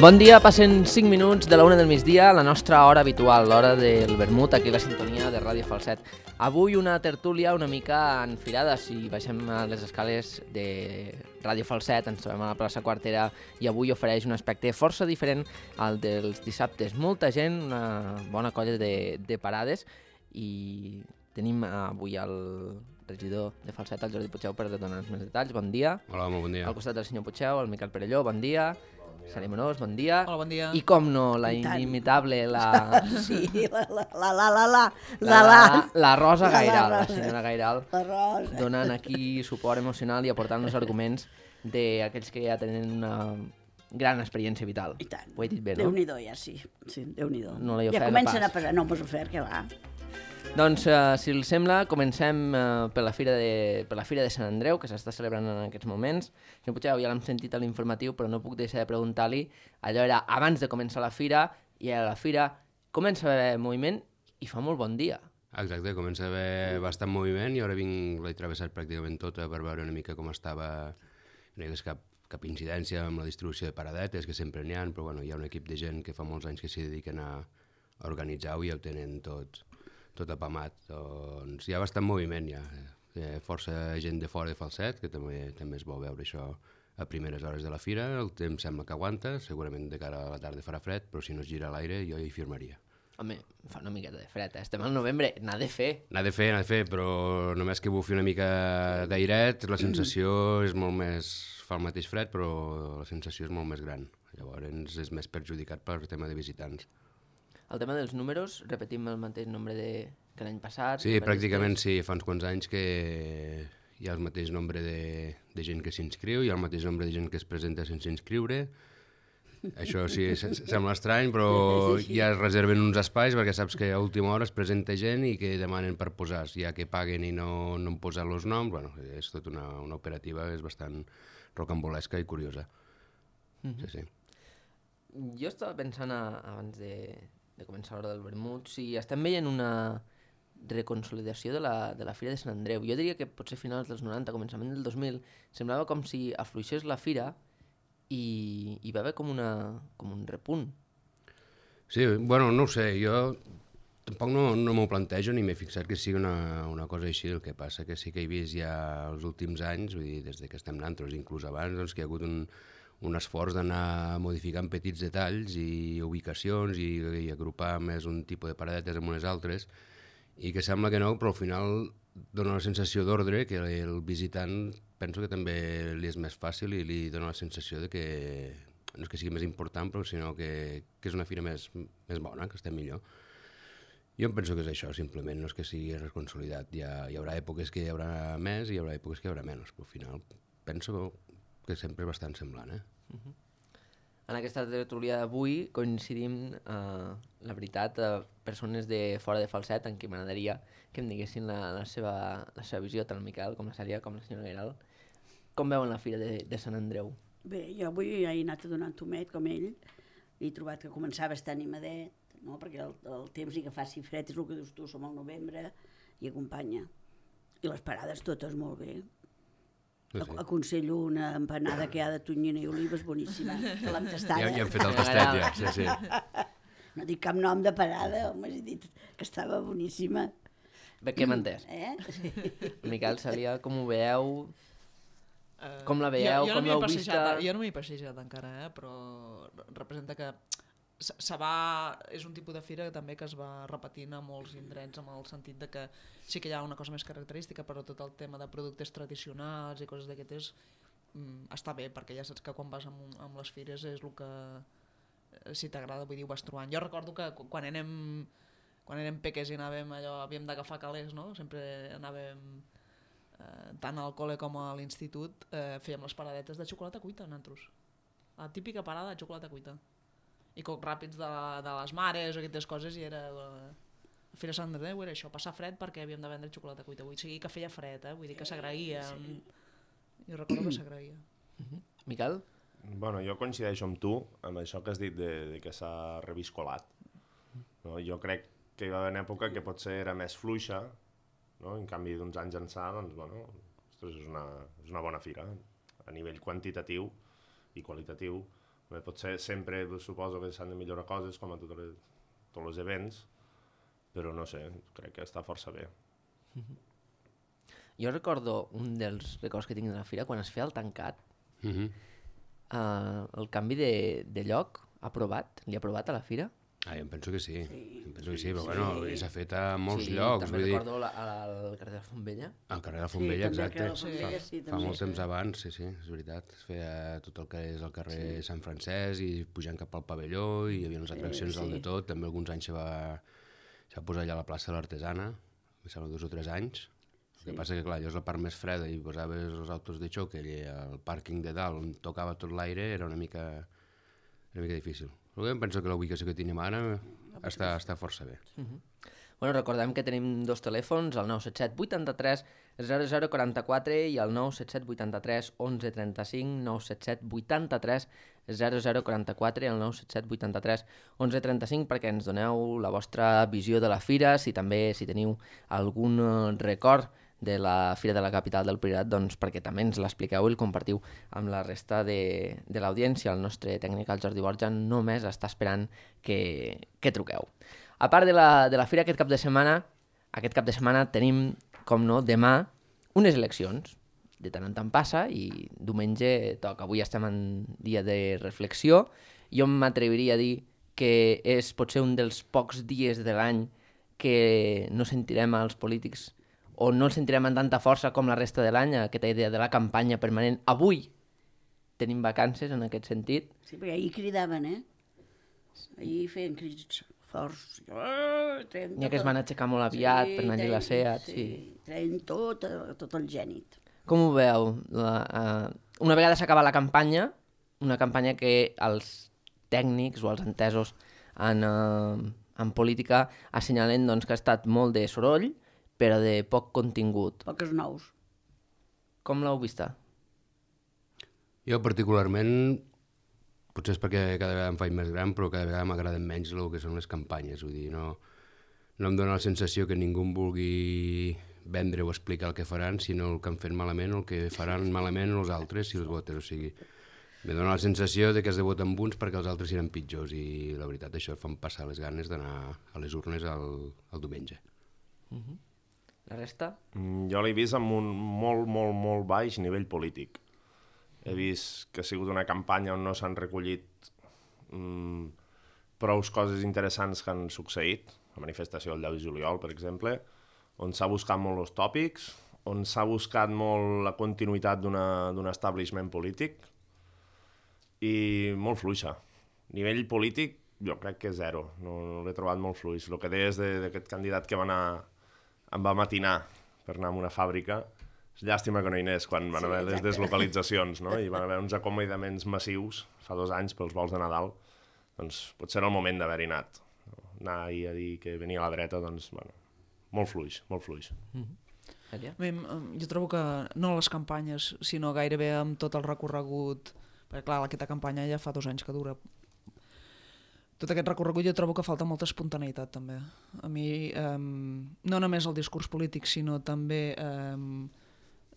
Bon dia, passen 5 minuts de la 1 del migdia, la nostra hora habitual, l'hora del vermut, aquí a la sintonia de Ràdio Falset. Avui una tertúlia una mica enfilada, si baixem a les escales de Ràdio Falset, ens trobem a la plaça Quartera i avui ofereix un aspecte força diferent al dels dissabtes. Molta gent, una bona colla de parades i tenim avui el regidor de Falset, el Jordi Puigdeu, per donar-nos més detalls. Bon dia. Hola, bon dia. Al costat del senyor Puigdeu, el Miquel Perelló, bon dia. Sara Monós, bon dia. Hola, bon dia. I com no, la inimitable, la... Sí, la Rosa Gairal, la senyora Gairal, la Rosa. donant aquí suport emocional i aportant els arguments d'aquells que ja tenen una gran experiència vital. I tant. Ho he dit bé, no? Déu-n'hi-do, ja, sí. Sí, Déu-n'hi-do. No l'he ja ofert comencen pas. a passar. No m'has ofert, que va. Doncs, si els sembla, comencem per la Fira de Sant Andreu, que s'està celebrant en aquests moments. Senyor Puigdeu, ja l'hem sentit a l'informatiu, però no puc deixar de preguntar-li. Allò era abans de començar la Fira, i a la Fira comença a haver moviment i fa molt bon dia. Exacte, comença a haver bastant moviment i ara l'he travessat pràcticament tota per veure una mica com estava. No hi ha cap incidència amb la distribució de paradetes, que sempre n'hi ha, però bueno, hi ha un equip de gent que fa molts anys que s'hi dediquen a organitzar-ho i ja ho tenen tot apamat. Doncs hi ha bastant moviment ja. Força gent de fora de Falset, que també es vol veure això a primeres hores de la fira. El temps sembla que aguanta, segurament de cara a la tarda farà fred, però si no es gira l'aire jo hi firmaria. Home, fa una miqueta de fred, Estem al novembre, n'ha de fer. N'ha de fer, però només que bufi una mica d'airet, la sensació és molt més... fa el mateix fred, però la sensació és molt més gran. Llavors és més perjudicat per tema de visitants. El tema dels números, repetim el mateix nombre que l'any passat? Sí, pràcticament sí, fa uns quants anys que hi ha el mateix nombre de gent que s'inscriu, hi ha el mateix nombre de gent que es presenta sense inscriure. Això sí, sembla estrany, però ja es reserven uns espais perquè saps que a última hora es presenta gent i que demanen per posar, ja que paguen i no han posat els noms. Bueno, és tota una operativa, és bastant rocambolesca i curiosa. Sí. Jo estava pensant abans de començar l'hora del vermut, si estem veient una reconsolidació de la Fira de Sant Andreu. Jo diria que potser finals dels 90, començament del 2000, semblava com si afluixés la Fira i hi va haver com un repunt. Sí, bueno, no ho sé, jo tampoc no m'ho plantejo ni m'he fixat que sigui una cosa així. El que passa que sí que he vist ja els últims anys, vull dir, des que estem nosaltres, inclús abans, doncs, que hi ha hagut un esforç d'anar modificant petits detalls i ubicacions i agrupar més un tipus de paradetes amb unes altres, i que sembla que no, però al final dona la sensació d'ordre, que el visitant penso que també li és més fàcil i li dona la sensació de que no és que sigui més important, però sinó que és una fira més bona, que estem millor. Jo em penso que és això, simplement, no és que sigui reconsolidat. Hi haurà èpoques que hi haurà més i hi haurà èpoques que hi haurà menys, però al final penso que sempre és bastant semblant. En aquesta tertúlia d'avui coincidim, la veritat, persones de fora de Falset, en qui m'agradaria que em diguessin la seva visió, tant el Miquel com la Sària com la senyora Gairal. Com veuen la Fira de Sant Andreu? Bé, jo avui he anat a donar un tomet com ell i he trobat que començava a estar animadet, no? Perquè el temps ni que faci fred, és el que dius tu, som al novembre i acompanya. I les parades totes molt bé. Sí. Aconsello una empanada que hi ha de tonyina i olives boníssima, que l'hem tastada. Ja hem fet el tastet, ja, sí. No dic cap nom de parada, home, he dit que estava boníssima. Bé, què m'ha entès? Miquel, Sària, com ho veieu? Com la veieu? Com l'heu vista? Jo no m'hi he passejat encara, però representa que Sabà és un tipus de fira també que es va repetint a molts indrets, amb el sentit de que sí que hi ha una cosa més característica, però tot el tema de productes tradicionals i coses d'aquestes està bé, perquè ja saps que quan vas amb les fires és el que, si t'agrada, vull dir, ho vas trobant. Jo recordo que quan érem peques i havíem d'agafar calés, no? Sempre anàvem tant al col·le com a l'institut, fèiem les paradetes de xocolata cuita, nosaltres. La típica parada de xocolata cuita. I cocs ràpids de les mares o aquestes coses, i era la Fira Sant Andreu era això, passar fred perquè havíem de vendre xocolata cuita. Vull dir que feia fred, vull dir que s'agraïa. Sí. Jo recordo que s'agraïa. Miquel? Bueno, jo coincideixo amb tu, amb això que has dit de que s'ha reviscolat. No? Jo crec que hi va haver una època que potser era més fluixa, no? En canvi d'uns anys ençà, doncs, bueno, ostres, és una bona fira a nivell quantitatiu i qualitatiu. Potser sempre suposo que s'han de millorar coses, com a tots els events, però no sé, crec que està força bé. Jo recordo un dels records que tinc de la fira, quan es feia el tancat, el canvi de lloc li ha provat a la fira? Jo em penso que sí, però bueno, s'ha fet a molts llocs. També recordo al carrer de la Fontvella. Al carrer de la Fontvella, exacte. Fa molt temps també. abans, sí, és veritat. Es feia tot el que és el carrer Sant Francesc i pujant cap al pavelló i hi havia les atraccions del de tot. També alguns anys s'ha posat allà a la plaça de l'Artesana, em sembla 2 o 3 anys. El que passa que, clar, allò és la part més freda i posaves els autos de xoc i el pàrquing de dalt on tocava tot l'aire era una mica difícil. Però em penso que la ubicació que tenim ara està força bé. Bueno, recordem que tenim 2 telèfons, el 977 83 0044 i el 977 83 11 35, 977 83 0044 i el 977 83 11 35 perquè ens doneu la vostra visió de la fira, si teniu algun record de la Fira de la Capital del Priorat, doncs perquè també ens l'expliqueu i el compartiu amb la resta de l'audiència. El nostre tècnic, el Jordi Borja, només està esperant que truqueu. A part de la Fira, aquest cap de setmana tenim, com no, demà unes eleccions. De tant en tant passa i diumenge toca. Avui estem en dia de reflexió. Jo m'atreviria a dir que és potser un dels pocs dies de l'any que no sentirem als polítics o no el sentirem amb tanta força com la resta de l'any, aquesta idea de la campanya permanent. Avui tenim vacances en aquest sentit. Sí, perquè ahir cridaven, Ahir feien crits forts. N'hi ha que es van aixecar molt aviat per anar-hi la SEAT. Sí, treien tot el gènit. Com ho veu? Una vegada s'acaba la campanya, una campanya que els tècnics o els entesos en política assenyalen doncs, que ha estat molt de soroll, però de poc contingut. Poques nous. Com l'heu vista? Jo particularment, potser és perquè cada vegada em faig més gran, però cada vegada m'agraden menys el que són les campanyes. Vull dir, no em dóna la sensació que ningú em vulgui vendre o explicar el que faran, sinó el que han fet malament o el que faran malament els altres si els voten. O sigui, me dóna la sensació de que has de votar amb uns perquè els altres seran pitjors i la veritat això em fan passar les ganes d'anar a les urnes el diumenge. La resta? Jo l'he vist amb un molt baix nivell polític. He vist que ha sigut una campanya on no s'han recollit prou coses interessants que han succeït, la manifestació del 10 de juliol, per exemple, on s'ha buscat molt els tòpics, on s'ha buscat molt la continuïtat d'un establishment polític i molt fluixa. Nivell polític jo crec que és zero, no l'he trobat molt fluix. El que deies d'aquest candidat que em va matinar per anar a una fàbrica, és llàstima que no hi anés quan van haver les deslocalitzacions, no? I van haver uns acomiadaments massius fa 2 anys pels vols de Nadal, doncs potser era el moment d'haver-hi anat. Anar ahir a dir que venia a la dreta, doncs, bueno, molt fluix, molt fluix. Bé, jo trobo que no les campanyes, sinó gairebé amb tot el recorregut, perquè clar, aquesta campanya ja fa 2 anys que dura. Tot aquest recorregut jo trobo que falta molta espontaneïtat també. A mi, no només el discurs polític, sinó també,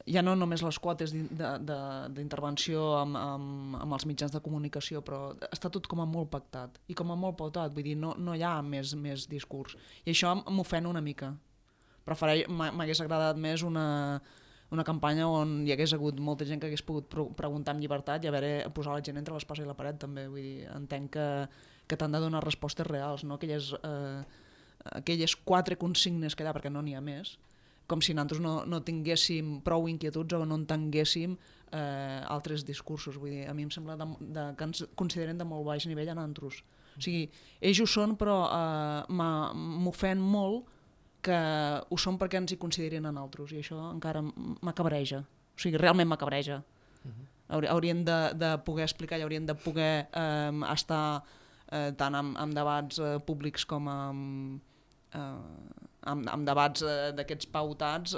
ja no només les quotes d'intervenció amb els mitjans de comunicació, però està tot com a molt pactat i com a molt pautat, vull dir, no hi ha més discurs. I això m'ofèn una mica. M'hagués agradat més una campanya on hi hagués hagut molta gent que hagués pogut preguntar amb llibertat i posar la gent entre l'espasa i la paret també. Vull dir, entenc que t'han de donar respostes reals, no aquelles 4 consignes que hi ha, perquè no n'hi ha més, com si nosaltres no tinguéssim prou inquietuds o no entenguéssim altres discursos. Vull dir, a mi em sembla que ens consideren de molt baix nivell a nosaltres. O sigui, ells ho són, però m'ofèn molt que ho són perquè ens hi considerin a nosaltres, i això encara m'acabreja. O sigui, realment m'acabreja. Haurien de poder explicar i haurien de poder estar tant amb debats públics com amb debats d'aquests pautats,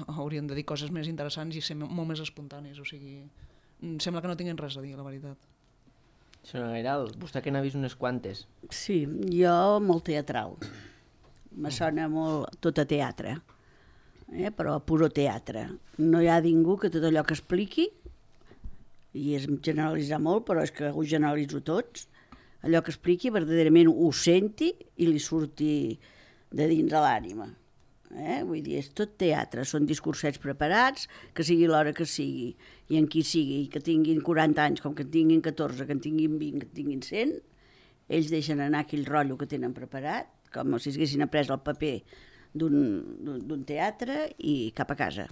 haurien de dir coses més interessants i ser molt més espontanis. O sigui, sembla que no tinguin res a dir, la veritat. Senyora Gairal, vostè que n'ha vist unes quantes. Sí, jo molt teatral. Me sona molt tot a teatre, però a puro teatre. No hi ha ningú que tot allò que expliqui i és generalitzar molt, però és que ho generalitzo tots, allò que expliqui verdaderament ho senti i li surti de dins de l'ànima. Vull dir, és tot teatre, són discursets preparats, que sigui l'hora que sigui, i en qui sigui, que tinguin 40 anys, com que en tinguin 14, que en tinguin 20, que en tinguin 100, ells deixen anar aquell rotllo que tenen preparat, com si haguessin après el paper d'un teatre i cap a casa.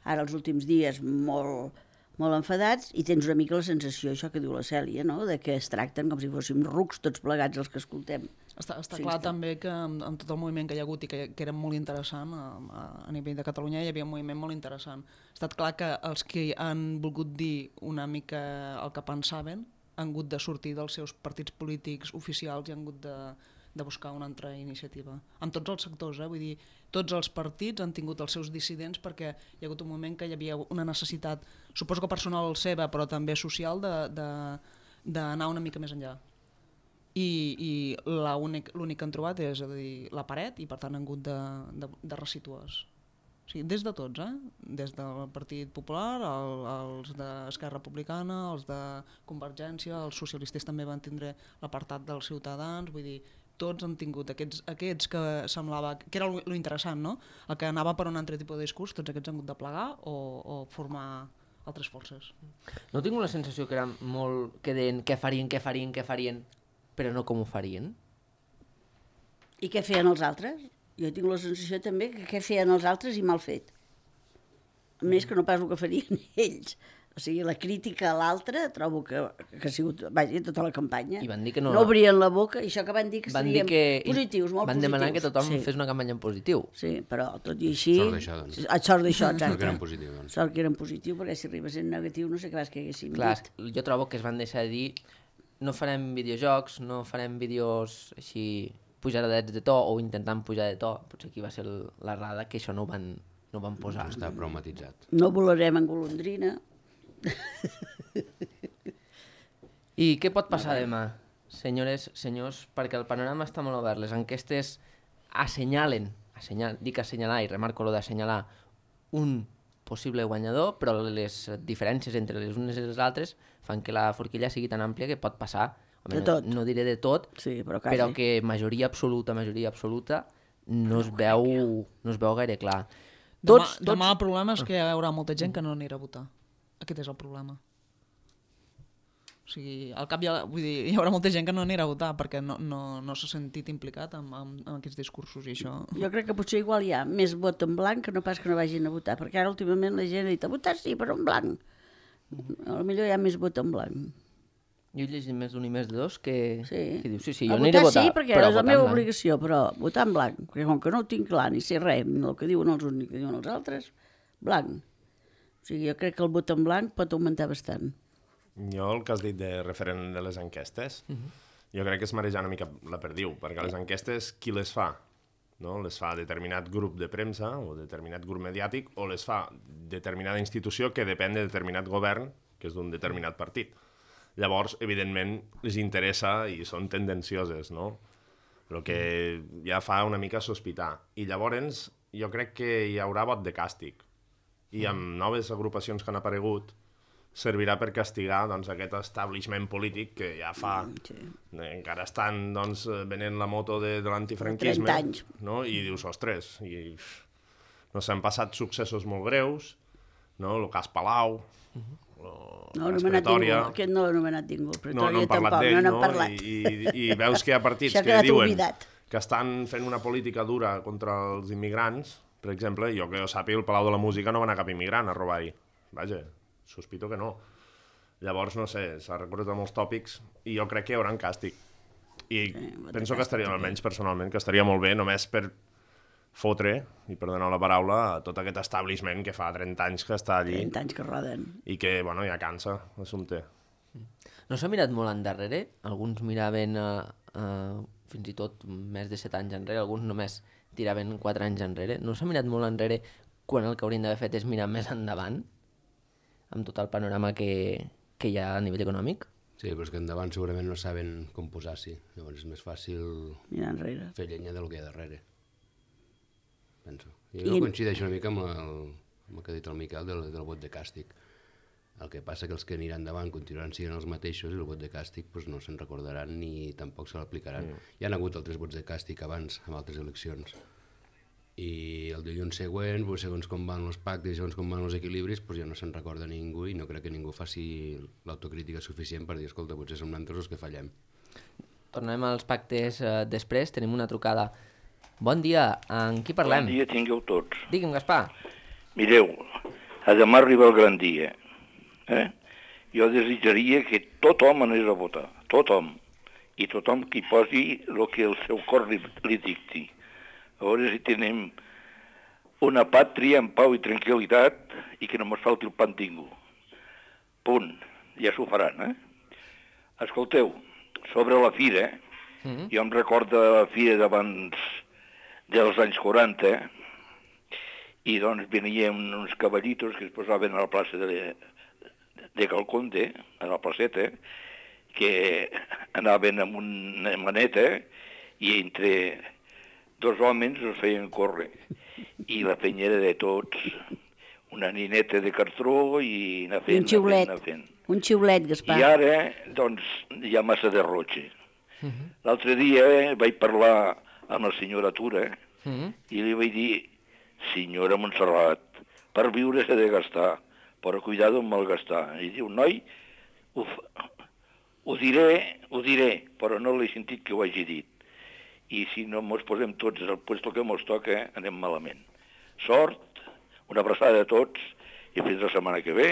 Ara, els últims dies, molt enfadats, i tens una mica la sensació, això que diu la Cèlia, no? De que es tracten com si fóssim rucs tots plegats els que escoltem. Està clar també que amb tot el moviment que hi ha hagut i que era molt interessant a nivell de Catalunya, hi havia un moviment molt interessant. Ha estat clar que els que han volgut dir una mica el que pensaven han hagut de sortir dels seus partits polítics oficials i han hagut de buscar una altra iniciativa. En tots els sectors, vull dir, tots els partits han tingut els seus dissidents perquè hi ha hagut un moment que hi havia una necessitat, suposo que personal seva, però també social, d'anar una mica més enllà. I l'únic que han trobat és, a dir, la paret, i per tant han hagut de resituar-se. O sigui, des de tots, des del Partit Popular, els d'Esquerra Republicana, els de Convergència, els socialistes també van tindre l'apartat dels Ciutadans, vull dir, tots han tingut aquests que semblava, que era lo interessant, no? El que anava per un altre tipus de discurs, tots aquests han hagut de plegar o formar altres forces. No tinc la sensació que era molt que deien què farien, però no com ho farien? I què feien els altres? Jo tinc la sensació també que què feien els altres i mal fet. Més que no pas el que farien ells. O sigui, la crítica a l'altre trobo que ha sigut, vaja, tota la campanya. I van dir que no obrien la boca, i això que van dir que serien positius, molt positius. Van demanar que tothom fes una campanya en positiu. Sí, però tot i així... Sort d'això, doncs. Sort d'això, exacte. Sort que eren positiu, doncs. Sort que eren positiu, perquè si arribés en negatiu no sé què vas que haguéssim dit. Clar, jo trobo que es van deixar de dir no farem videojocs, no farem vídeos així pujaradets de to o intentant pujar de to. Potser aquí va ser l'errada que això no ho van posar. No està prou matitzat. No volarem en golondrina. I què pot passar demà, senyores, senyors? Perquè el panorama està molt obert. Les enquestes assenyalen, dic assenyalar i remarco lo d'assenyalar, un possible guanyador, però les diferències entre les unes i les altres fan que la forquilla sigui tan àmplia que pot passar, de tot. No diré de tot, sí, però que majoria absoluta no es veu gaire clar. Demà el problema és que hi haurà molta gent que no anirà a votar. Aquest és el problema. O sigui, al cap vull dir, hi haurà molta gent que no anirà a votar perquè no s'ha sentit implicat en aquests discursos i això. Jo crec que potser igual hi ha més vot en blanc que no pas que no vagin a votar, perquè ara últimament la gent ha dit a votar sí, però en blanc. Potser hi ha més vot en blanc. Jo he llegit més d'un i més de dos que diu sí, jo a aniré a votar. Sí, perquè és la meva obligació, però votar en blanc, perquè com que no ho tinc clar ni sé res, ni el que diuen els uns ni el que diuen els altres, blanc. O sigui, jo crec que el vot en blanc pot augmentar bastant. Jo, el que has dit de referent de les enquestes, jo crec que és marejar una mica la perdiu, perquè les enquestes, qui les fa? No? Les fa determinat grup de premsa o determinat grup mediàtic, o les fa determinada institució que depèn de determinat govern, que és d'un determinat partit. Llavors, evidentment, les interessa i són tendencioses, no? El que ja fa una mica sospitar. I llavors, jo crec que hi haurà vot de càstig. I amb noves agrupacions que han aparegut, servirà per castigar doncs, aquest establishment polític que ja fa... Encara estan doncs, venent la moto de l'antifranquisme. 30 anys. No? I dius, ostres, no s'han passat successos molt greus, no? El cas Palau, no l'ha Pretòria... Aquest no l'ha anomenat ningú. No hem parlat d'ell, no? I veus que hi ha partits que diuen que estan fent una política dura contra els immigrants. Per exemple, jo que sàpiga, el Palau de la Música no va anar cap immigrant a robar-hi. Vaja, sospito que no. Llavors, no sé, s'ha recordat molts tòpics i jo crec que hi haurà un càstig. I penso que estaria, almenys personalment, que estaria molt bé només per fotre, i per donar la paraula, a tot aquest establishment que fa 30 anys que està allí. 30 anys que roden. I que, bueno, ja cansa l'assumpte. No s'ha mirat molt endarrere? Alguns miraven fins i tot més de 7 anys enrere, alguns només tiraven 4 anys enrere. No s'ha mirat molt enrere quan el que haurien d'haver fet és mirar més endavant, amb tot el panorama que hi ha a nivell econòmic? Sí, però és que endavant segurament no saben com posar-s'hi. Llavors és més fàcil fer llenya del que hi ha darrere. Penso. Jo coincideixo una mica amb el que ha dit el Miquel del vot de càstig. El que passa que els que aniran endavant continuaran sent els mateixos i el vot de càstig no se'n recordaran ni tampoc se l'aplicaran. Hi ha hagut altres vots de càstig abans, amb altres eleccions. I el dilluns següent, segons com van els pactes, segons com van els equilibris, ja no se'n recorda ningú i no crec que ningú faci l'autocrítica suficient per dir, escolta, potser som nosaltres els que fallem. Tornem als pactes després, tenim una trucada. Bon dia, amb qui parlem? Bon dia tingueu tots. Digue'm, Gaspar. Mireu, a demà arriba el gran dia. Jo desitjaria que tothom anés a votar, tothom, i tothom que hi posi el que el seu cor li dicti. A veure si tenim una pàtria en pau i tranquil·litat i que no mos falti el pan ningú. Punt. Ja s'ho faran, Escolteu, sobre la fira, jo em recordo la fira d'abans dels anys 40, i doncs venien uns cavallitos que es posaven a la plaça de Calconde, a la placeta, que anaven amb una maneta i entre dos homes els feien córrer. I la penya era de tots, una nineta de cartró i anar fent, anar fent. Un xiulet, Gaspar. I ara, doncs, hi ha massa derrotxe. L'altre dia vaig parlar amb la senyora Tura i li vaig dir, senyora Montserrat, per viure s'ha de gastar, però cuidado amb malgastar. I diu, noi, ho diré, però no l'he sentit que ho hagi dit. I si no mos posem tots al puesto que mos toca, anem malament. Sort, una abraçada a tots i fins la setmana que ve.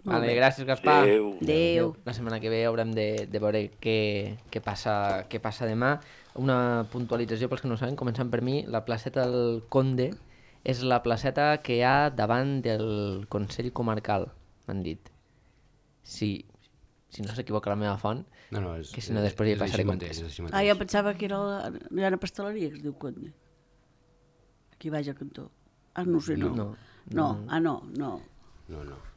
Vale, gràcies, Gaspar. Adéu. La setmana que ve haurem de veure què passa demà. Una puntualització pels que no ho saben, començant per mi, la placeta del Conde és la placeta que hi ha davant del Consell Comarcal, m'han dit. Si no s'equivoca la meva font, que si no després hi passaré comptes. Jo pensava que hi ha una pasteleria que es diu Conde. Aquí baix al cantó. No sé, no. No.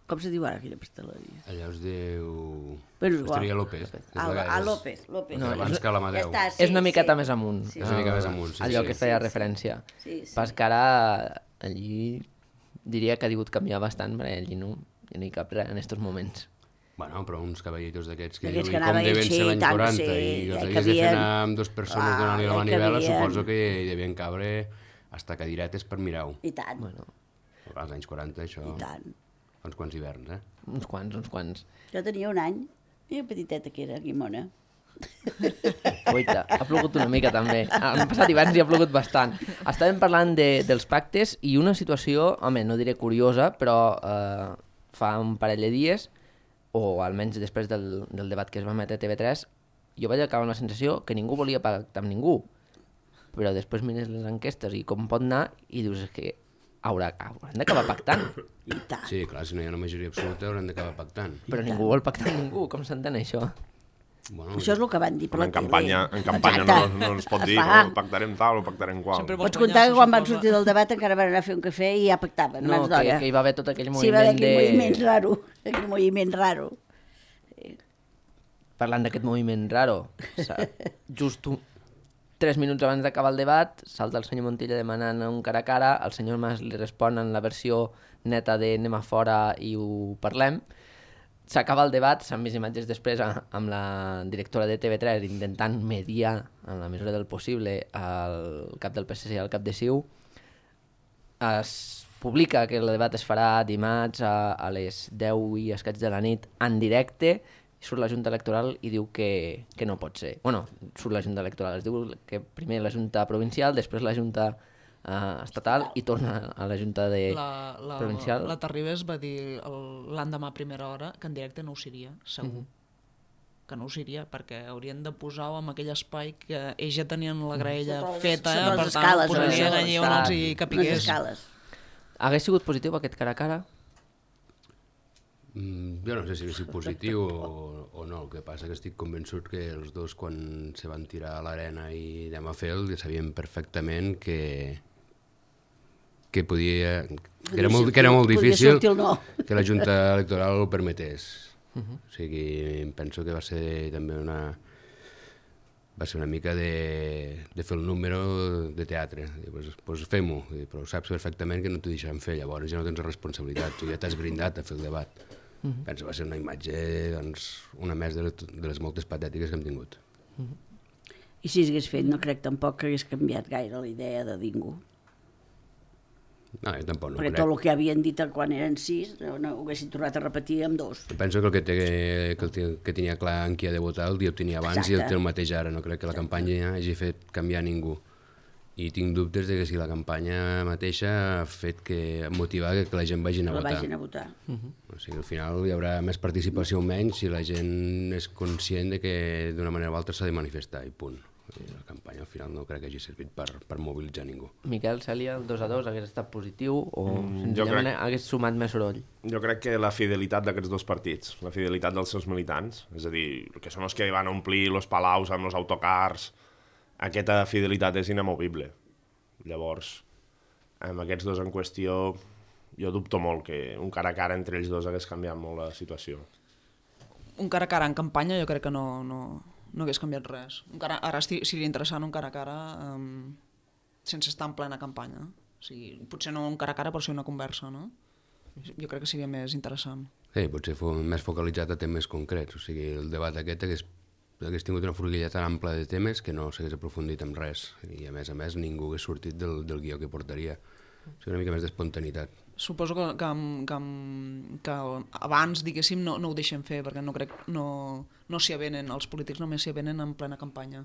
Com se diu ara aquella pasteleria? Allà us diu... Pasteleria López. López. No, abans que l'Amadeu. És una miqueta més amunt. És una mica més amunt, sí. Allò que feia referència. Pas que ara allí diria que ha hagut canviar bastant, perquè allí no hi cap res en aquests moments. Bueno, però uns cavallitos d'aquests que D'aquests diuen que com anaven, deven sí, ser l'any tant, 40 sí, i els ja havies de fer cabien. anar amb dues persones donant-li la ja manivela, cabien. suposo que hi devien cabre hasta cadiretes per mirar-ho. I tant. Bueno, Als anys 40 això... I tant. Fa uns quants hiverns, uns quants. Jo tenia un any, i petiteta que era, guimona. Oita, ha plogut una mica també. Han passat hiverns i ha plogut bastant. Estàvem parlant dels pactes i una situació, home, no diré curiosa, però fa un parell de dies, o almenys després del debat que es va emetre a TV3, jo vaig acabar amb la sensació que ningú volia pactar amb ningú. Però després mires les enquestes i com pot anar i dius que hauran d'acabar pactant. I tant. Sí, clar, si no hi ha una majoria absoluta hauran d'acabar pactant. Però ningú vol pactar amb ningú, com s'entén això? Bueno, Això és el que van dir per la En tele. campanya no ens pot dir, no, pactarem tal o pactarem qual. Pots comptar que quan van sortir del debat encara van anar a fer un cafè i ja pactaven, No, abans d'hora. que hi va haver tot aquell Sí, va haver moviment aquell moviment raro. Parlant d'aquest moviment raro, just 3 minuts abans d'acabar el debat, salta el senyor Montilla demanant un cara a cara, el senyor Mas li respon en la versió neta de anem a fora i ho parlem. S'acaba el debat, s'han vist imatges després amb la directora de TV3 intentant mediar, en la mesura del possible, el cap del PSC i el cap de CiU. Es publica que el debat es farà dimarts a les 10 i escaig de la nit en directe, surt la Junta Electoral i diu que no pot ser. Bueno, surt la Junta Electoral, es diu que primer la Junta Provincial, després la Junta estatal i torna a la Junta Provincial. La Terribas va dir l'endemà a primera hora que en directe no ho seria, segur. Que no ho seria, perquè haurien de posar-ho en aquell espai que ells ja tenien la graella feta, sota les per tant escales, ho posarien no? allí on els hi Unes capigués. escales. Hagués sigut positiu aquest cara a cara? Jo no sé si és positiu o no, el que passa que estic convençut que els dos quan se van tirar a l'arena i anem a fer-lo sabien perfectament que era molt difícil que la Junta Electoral ho permetés. O sigui, penso que va ser també una mica de fer el número de teatre. Doncs fem-ho, però saps perfectament que no t'ho deixaran fer, llavors ja no tens responsabilitat, tu ja t'has brindat a fer el debat. Penso que va ser una imatge, doncs, una més de les moltes patètiques que hem tingut. I si s'hagués fet, no crec tampoc que hagués canviat gaire la idea de ningú. No, jo tampoc no Perquè crec. tot el que havien dit quan eren 6 no ho haguessin tornat a repetir amb 2. Penso que que tenia clar en qui ha de votar el dia ho tenia abans. Exacte. I el té el mateix ara. No crec que la campanya hagi fet canviar ningú. I tinc dubtes de que si la campanya mateixa ha fet que motivar que la gent vagin a votar. Vagin a votar. O sigui, al final hi haurà més participació o menys si la gent és conscient de que d'una manera o altra s'ha de manifestar i punt. La campanya al final no crec que hagi servit per mobilitzar ningú. Miquel, Cèlia, el 2-2 hagués estat positiu o senzillament crec... hagués sumat més soroll? Jo crec que la fidelitat d'aquests dos partits, la fidelitat dels seus militants, és a dir, que són els que van omplir els palaus amb els autocars, aquesta fidelitat és inamovible. Llavors, amb aquests dos en qüestió, jo dubto molt que un cara a cara entre ells dos hagués canviat molt la situació. Un cara a cara en campanya jo crec que no hagués canviat res. Ara seria interessant un cara a cara sense estar en plena campanya. O sigui, potser no un cara a cara, però sí una conversa, no? Jo crec que seria més interessant. Sí, potser més focalitzat a temes concrets. O sigui, el debat aquest hagués tingut una forquilla tan ampla de temes que no s'hagués aprofundit en res. I a més, ningú hagués sortit del guió que portaria. O sigui, una mica més d'espontaneïtat. Suposo que abans, diguéssim, no ho deixem fer, perquè no crec no s'hi avenen, els polítics només s'hi avenen en plena campanya.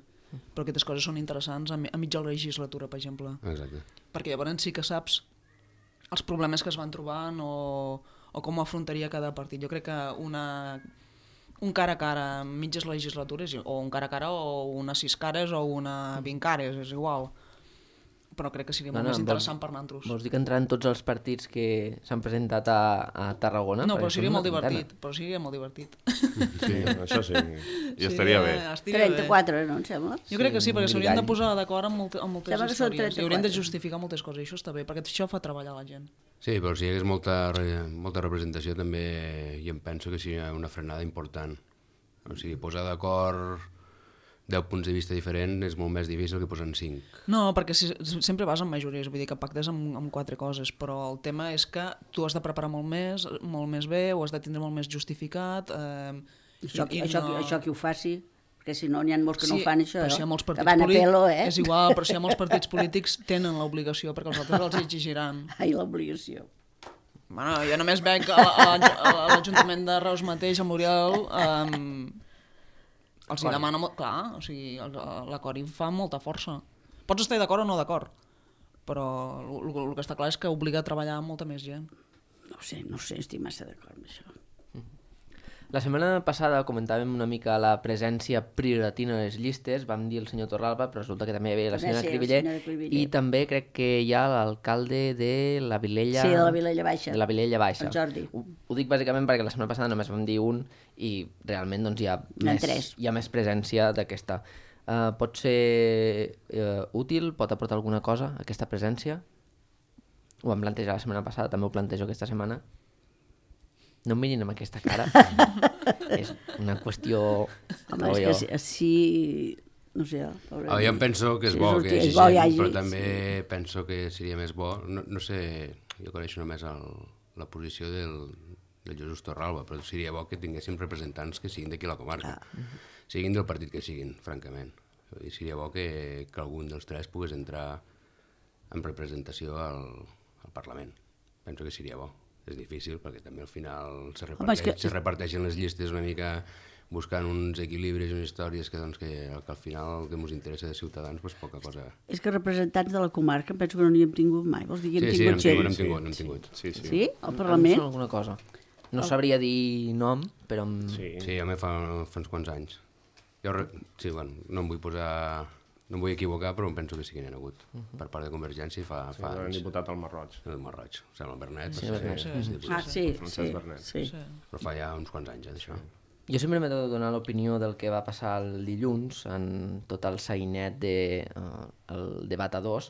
Però aquestes coses són interessants a mitja la legislatura, per exemple. Exacte. Perquè llavors sí que saps els problemes que es van trobant o com ho afrontaria cada partit. Jo crec que un cara a cara en mitges legislatures, o un cara a cara o una 6 cares o una 20 cares, és igual. Però crec que seria molt més interessant per nosaltres. Vols dir que entraran tots els partits que s'han presentat a Tarragona? No, però seria molt divertit. Sí, això sí, i estaria bé. 34, no, em sembla? Jo crec que sí, perquè s'haurien de posar d'acord amb moltes històries. I haurien de 34. justificar moltes coses, i això està bé, perquè això fa treballar la gent. Sí, però si hi hagués molta representació també jo em penso que seria una frenada important. O sigui, posar d'acord 10 punts de vista diferents és molt més difícil que posar en 5. No, perquè sempre vas amb majories, vull dir que pactes amb 4 coses, però el tema és que tu has de preparar molt més bé, ho has de tindre molt més justificat. Això qui ho faci, perquè si no n'hi ha molts que no ho fan, això, però si hi ha molts que van a pelo, És igual, però si hi ha molts partits polítics tenen l'obligació, perquè els altres els exigiran. Ai, l'obligació. Bueno, jo només veig a l'Ajuntament de Reus mateix, a Muriel, els hi demana molt... Clar, o sigui, l'acord hi fa molta força. Pots estar d'acord o no d'acord, però el que està clar és que obliga a treballar amb molta més gent. No sé, estic massa d'acord amb això. La setmana passada comentàvem una mica la presència prioratina a les llistes, vam dir el senyor Torralba, però resulta que també hi havia la senyora Cribiller, i també crec que hi ha l'alcalde de la Vilella... Sí, de la Vilella Baixa. De la Vilella Baixa. El Jordi. Ho dic bàsicament perquè la setmana passada només vam dir un i realment doncs, hi ha més presència d'aquesta. Pot ser útil? Pot aportar alguna cosa aquesta presència? Ho vam plantejar la setmana passada, també ho plantejo aquesta setmana. No em mirin amb aquesta cara. És una qüestió... Home, és que sí... No sé... Jo em penso que és bo que hi hagi gent, però també penso que seria més bo... No sé, jo coneixo només la posició del Jesús Torralba, però seria bo que tinguéssim representants que siguin d'aquí a la comarca. Siguin del partit que siguin, francament. I seria bo que algun dels tres pogués entrar en representació al Parlament. Penso que seria bo. És difícil perquè també al final se reparteixen les llistes una mica buscant uns equilibris i unes històries que al final el que ens interessa de Ciutadans doncs poca cosa. És que representants de la comarca penso que no n'hi hem tingut mai. Vols dir que hem tingut gent? Sí? Al Parlament? Alguna cosa. No sabria dir nom, però... Sí, a mi fa uns quants anys. No em vull posar... No em vull equivocar, però em penso que sí que n'hi ha hagut. Per part de Convergència fa anys. El diputat al Marroig. El Marroig, o sigui, el Bernet. Sí. Però fa ja uns quants anys, d'això. Jo sempre m'he de donar l'opinió del que va passar el dilluns en tot el sainet del debat a 2.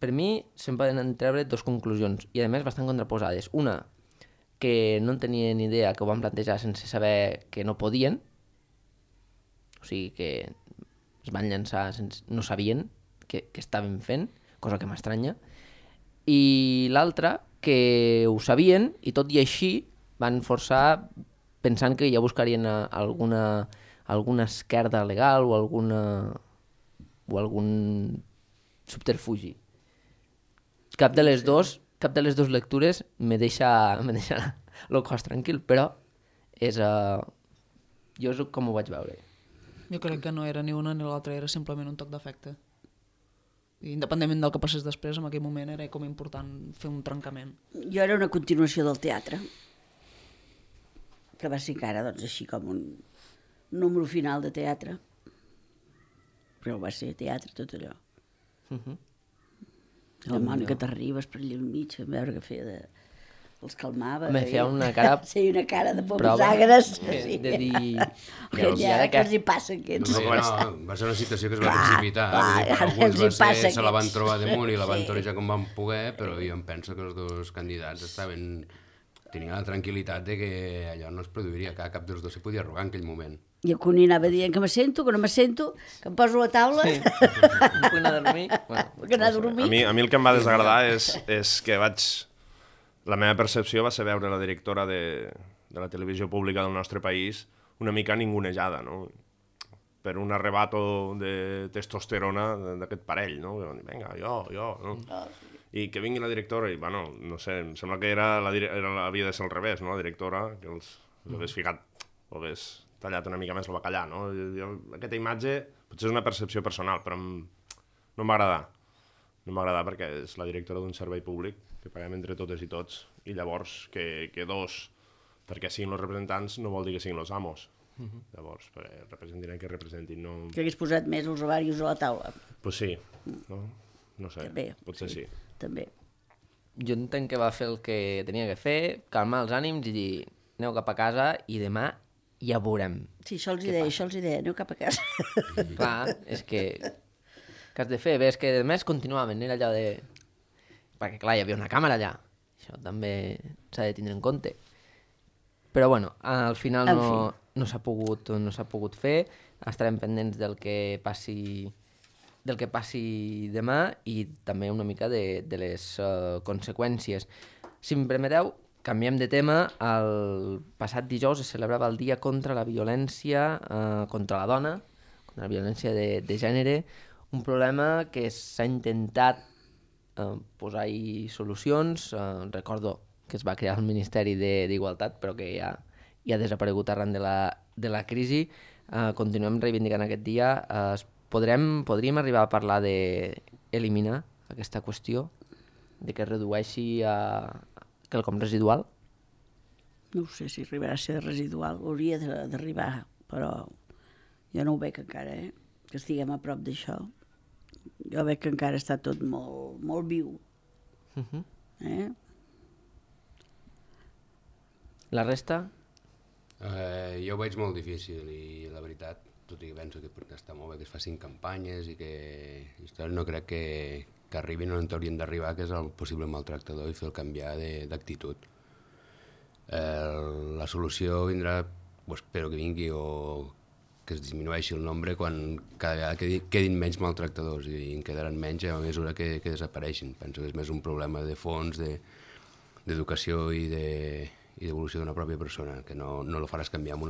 Per mi se'n poden treure 2 conclusions, i a més bastant contraposades. Una, que no en tenien ni idea, que ho van plantejar sense saber que no podien, o sigui que es van llançar, no sabien què estaven fent, cosa que m'estranya, i l'altra, que ho sabien i tot i així van forçar pensant que ja buscarien alguna esquerda legal o algun subterfugi. Cap de les dues lectures me deixa el cos tranquil, però jo és com ho vaig veure. Jo crec que no era ni una ni l'altra, era simplement un toc d'efecte. Independentment del que passés després, en aquell moment era com important fer un trencament. Jo era una continuació del teatre, que va ser encara doncs, així com un número final de teatre, però va ser teatre tot allò. La Mònica Terribas per allà al mig, a veure què feia els calmava. Me feia una cara... Sí, una cara de pomes agres. Sí. De dir... Què els hi passa aquests? Va ser una situació que es va precipitar. Alguns se la van trobar damunt i la van torejar com van poder, però jo em penso que els dos candidats tenien la tranquil·litat de que allò no es produiria, que cap dels dos se podia arrugar en aquell moment. I el Cuní anava dient que m'assento, que no m'assento, que em poso a taula. Sí. No puc anar a dormir. Puc anar a dormir. A mi el que em va desagradar és que la meva percepció va ser veure la directora de la televisió pública del nostre país una mica ningunejada, no? Per un arrebato de testosterona d'aquest parell, no? Vinga, jo, no? I que vingui la directora i, bueno, no sé, em sembla que havia de ser al revés, no? La directora, que els hagués ficat, o hagués tallat una mica més el bacallà, no? Aquesta imatge potser és una percepció personal, però no em va agradar. No em va agradar perquè és la directora d'un servei públic que paguem entre totes i tots, i llavors que dos, perquè siguin els representants, no vol dir que siguin els amos. Llavors, representin el que representin. No... Que hagués posat més els ovaris a la taula. Pues sí, no sé, també, potser sí. També. Jo entenc que va fer el que tenia que fer, calmar els ànims i dir aneu cap a casa i demà ja veurem. Sí, això els deia, aneu cap a casa. Clar, és que has de fer? Bé, és que a més continuaven, era allò de... Perquè clar, hi havia una càmera allà. Això també s'ha de tindre en compte. Però bueno, al final no s'ha pogut fer. Estarem pendents del que passi demà i també una mica de les conseqüències. Si em permeteu, canviem de tema. El passat dijous es celebrava el Dia contra la Violència contra la Dona, contra la violència de gènere, un problema que s'ha intentat posar-hi solucions. Recordo que es va crear el Ministeri d'Igualtat, però que ja ha desaparegut arran de la crisi. Continuem reivindicant aquest dia. Podríem arribar a parlar d'eliminar aquesta qüestió, de que es redueixi a quelcom residual? No sé si arribarà a ser residual, hauria d'arribar, però jo no ho veig encara, que estiguem a prop d'això. Jo veig que encara està tot molt, molt viu. La resta? Jo ho veig molt difícil i la veritat, tot i que penso que està molt bé que es facin campanyes i que no crec que arribin on haurien d'arribar, que és el possible maltractador, i fer el canviar d'actitud. La solució vindrà, espero que vingui, o que es disminueixi el nombre quan cada vegada quedin menys maltractadors, i en quedaran menys a mesura que desapareixin. Penso que és més un problema de fons, d'educació i d'evolució d'una pròpia persona, que no el faràs canviar amb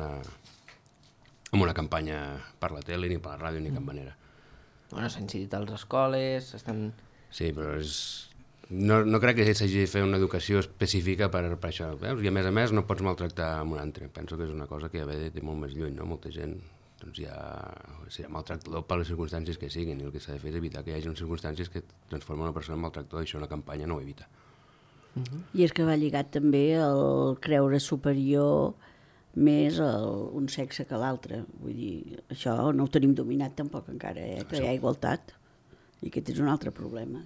una campanya per la tele, ni per la ràdio, ni de cap manera. Bueno, s'han incidit a les escoles, Sí, però no crec que s'hagi de fer una educació específica per això. Veus? I a més no pots maltractar amb un altre. Penso que és una cosa que ja ve de molt més lluny, no? Molta gent ja serà maltractador per les circumstàncies que siguin, i el que s'ha de fer és evitar que hi hagi unes circumstàncies que transformen una persona en maltractador, i això una campanya no ho evita. I és que va lligat també el creure superior més un sexe que l'altre. Vull dir, això no ho tenim dominat tampoc encara, que hi ha igualtat. I aquest és un altre problema.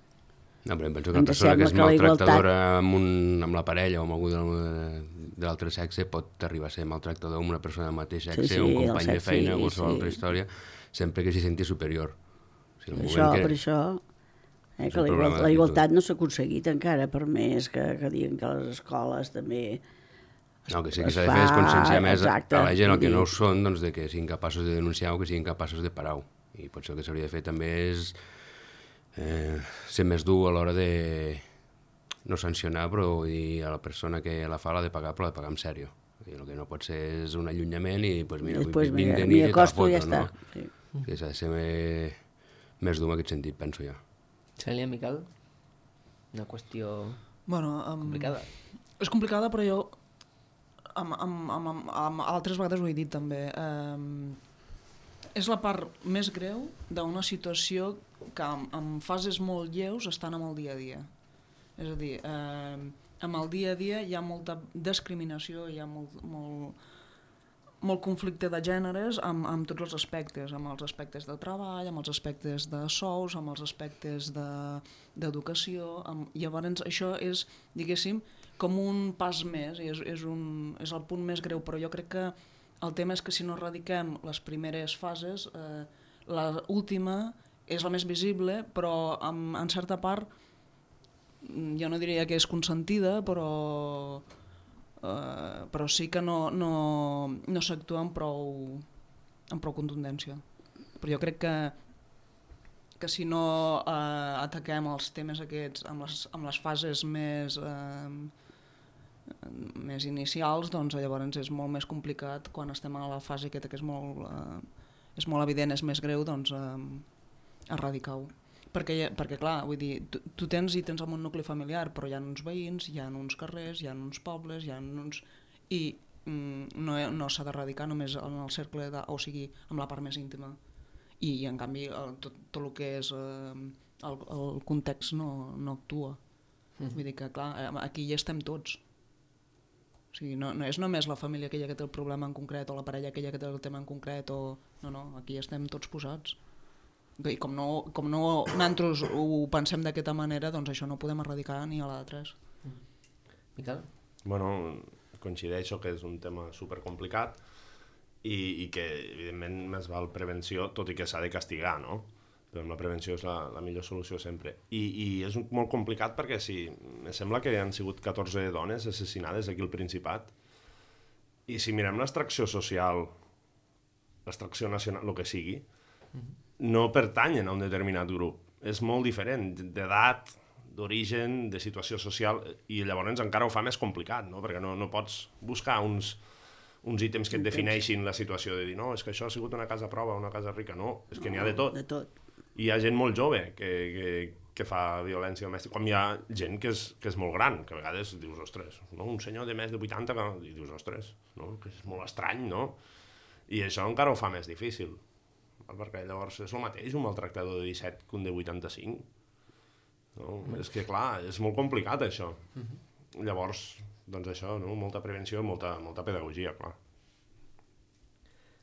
No, però em penso que una persona que és maltractadora amb la parella o amb algú de l'altre sexe pot arribar a ser maltractador amb una persona del mateix sexe, un company de feina o qualsevol altra història, sempre que s'hi senti superior. Per això que la igualtat no s'ha aconseguit encara, per més que diguin que les escoles també... No, que sí que s'ha de fer és conscienciar més a la gent el que no ho són, doncs, de que siguin capaços de denunciar o que siguin capaços de parar-ho. I potser el que s'hauria de fer també és ser més dur a l'hora de no sancionar, però vull dir, a la persona que la fa l'ha de pagar, però l'ha de pagar en sèrio. El que no pot ser és un allunyament i pues mira, Després, vinc de mira, nit i te la costo i ja foto, no? està. Sí. Que s'ha de ser més dur en aquest sentit, penso jo. Cèlia, Miquel? Una qüestió Bueno, complicada. és complicada, però jo amb altres vegades ho he dit també. És la part més greu d'una situació que en fases molt lleus estan amb el dia a dia. És a dir, amb el dia a dia hi ha molta discriminació, hi ha molt conflicte de gèneres amb tots els aspectes, amb els aspectes de treball, amb els aspectes de sous, amb els aspectes d'educació. Llavors això és, diguéssim, com un pas més, és el punt més greu, però jo crec que el tema és que si no erradiquem les primeres fases, l'última és la més visible, però en certa part jo no diria que és consentida, però sí que no s'actua amb prou contundència. Però jo crec que si no ataquem els temes aquests amb les fases més inicials, doncs llavors és molt més complicat quan estem a la fase aquesta que és molt evident, és més greu, doncs erradicar-ho. Perquè clar, vull dir, tu tens el món nucli familiar, però hi ha uns veïns, hi ha uns carrers, hi ha uns pobles, hi ha uns... I no s'ha d'erradicar només en el cercle, o sigui, amb la part més íntima. I en canvi tot el que és el context no actua. Vull dir que clar, aquí hi estem tots. O sigui, no és només la família aquella que té el problema en concret, o la parella aquella que té el tema en concret, no, aquí estem tots posats. I com no nosaltres ho pensem d'aquesta manera, doncs això no ho podem erradicar ni a la de 3. Miquel? Bueno, coincideixo que és un tema supercomplicat i que evidentment més val prevenció, tot i que s'ha de castigar, no? Però la prevenció és la millor solució sempre. I és molt complicat perquè em sembla que han sigut 14 dones assassinades aquí al Principat, i si mirem l'extracció social, l'extracció nacional, el que sigui, no pertanyen a un determinat grup. És molt diferent d'edat, d'origen, de situació social, i llavors encara ho fa més complicat, no? Perquè no pots buscar uns ítems que et defineixin la situació de dir, no, és que això ha sigut una casa prova, una casa rica. No, és que n'hi ha de tot. I hi ha gent molt jove que fa violència domèstica, com hi ha gent que és molt gran, que a vegades dius, ostres, no? Un senyor de més de 80, i dius, ostres, no? Que és molt estrany, no? I això encara ho fa més difícil. Perquè llavors és el mateix un maltractador de 17 que un de 85. No? És que clar, és molt complicat això. Llavors, doncs això, no? Molta prevenció i molta pedagogia, clar.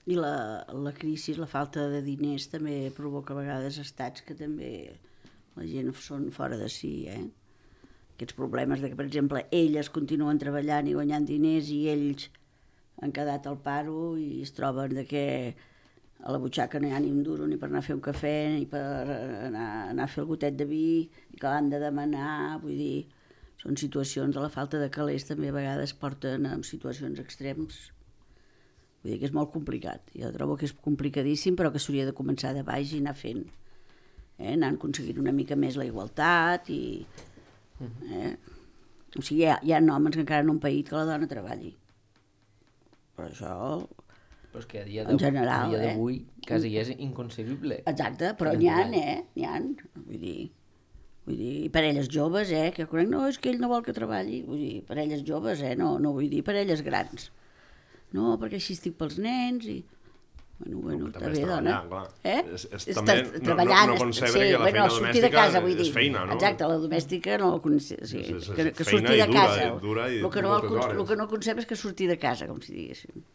I la crisi, la falta de diners també provoca a vegades estats que també la gent són fora de si, Aquests problemes de que, per exemple, elles continuen treballant i guanyant diners i ells han quedat al paro i es troben de que a la butxaca no hi ha ni un duro ni per anar a fer un cafè ni per anar a fer el gotet de vi i que l'han de demanar, vull dir, són situacions de la falta de calés també a vegades porten a situacions extrems. Vull dir que és molt complicat, jo trobo que és complicadíssim però que s'hauria de començar de baix i anar fent, anant aconseguint una mica més la igualtat i... O sigui, hi ha homes que encara no han paït que la dona treballi, però això... Però és que a dia d'avui quasi és inconcebible. Exacte, però n'hi ha, n'hi ha. Vull dir, parelles joves, que conec, no, és que ell no vol que treballi. Vull dir, parelles joves, no vull dir parelles grans. No, perquè així estic pels nens i... Bueno, està bé, dona. També no concebre que la feina domèstica és feina, no? Exacte, la domèstica no... Que surti de casa. El que no concebe és que surti de casa, com si diguéssim.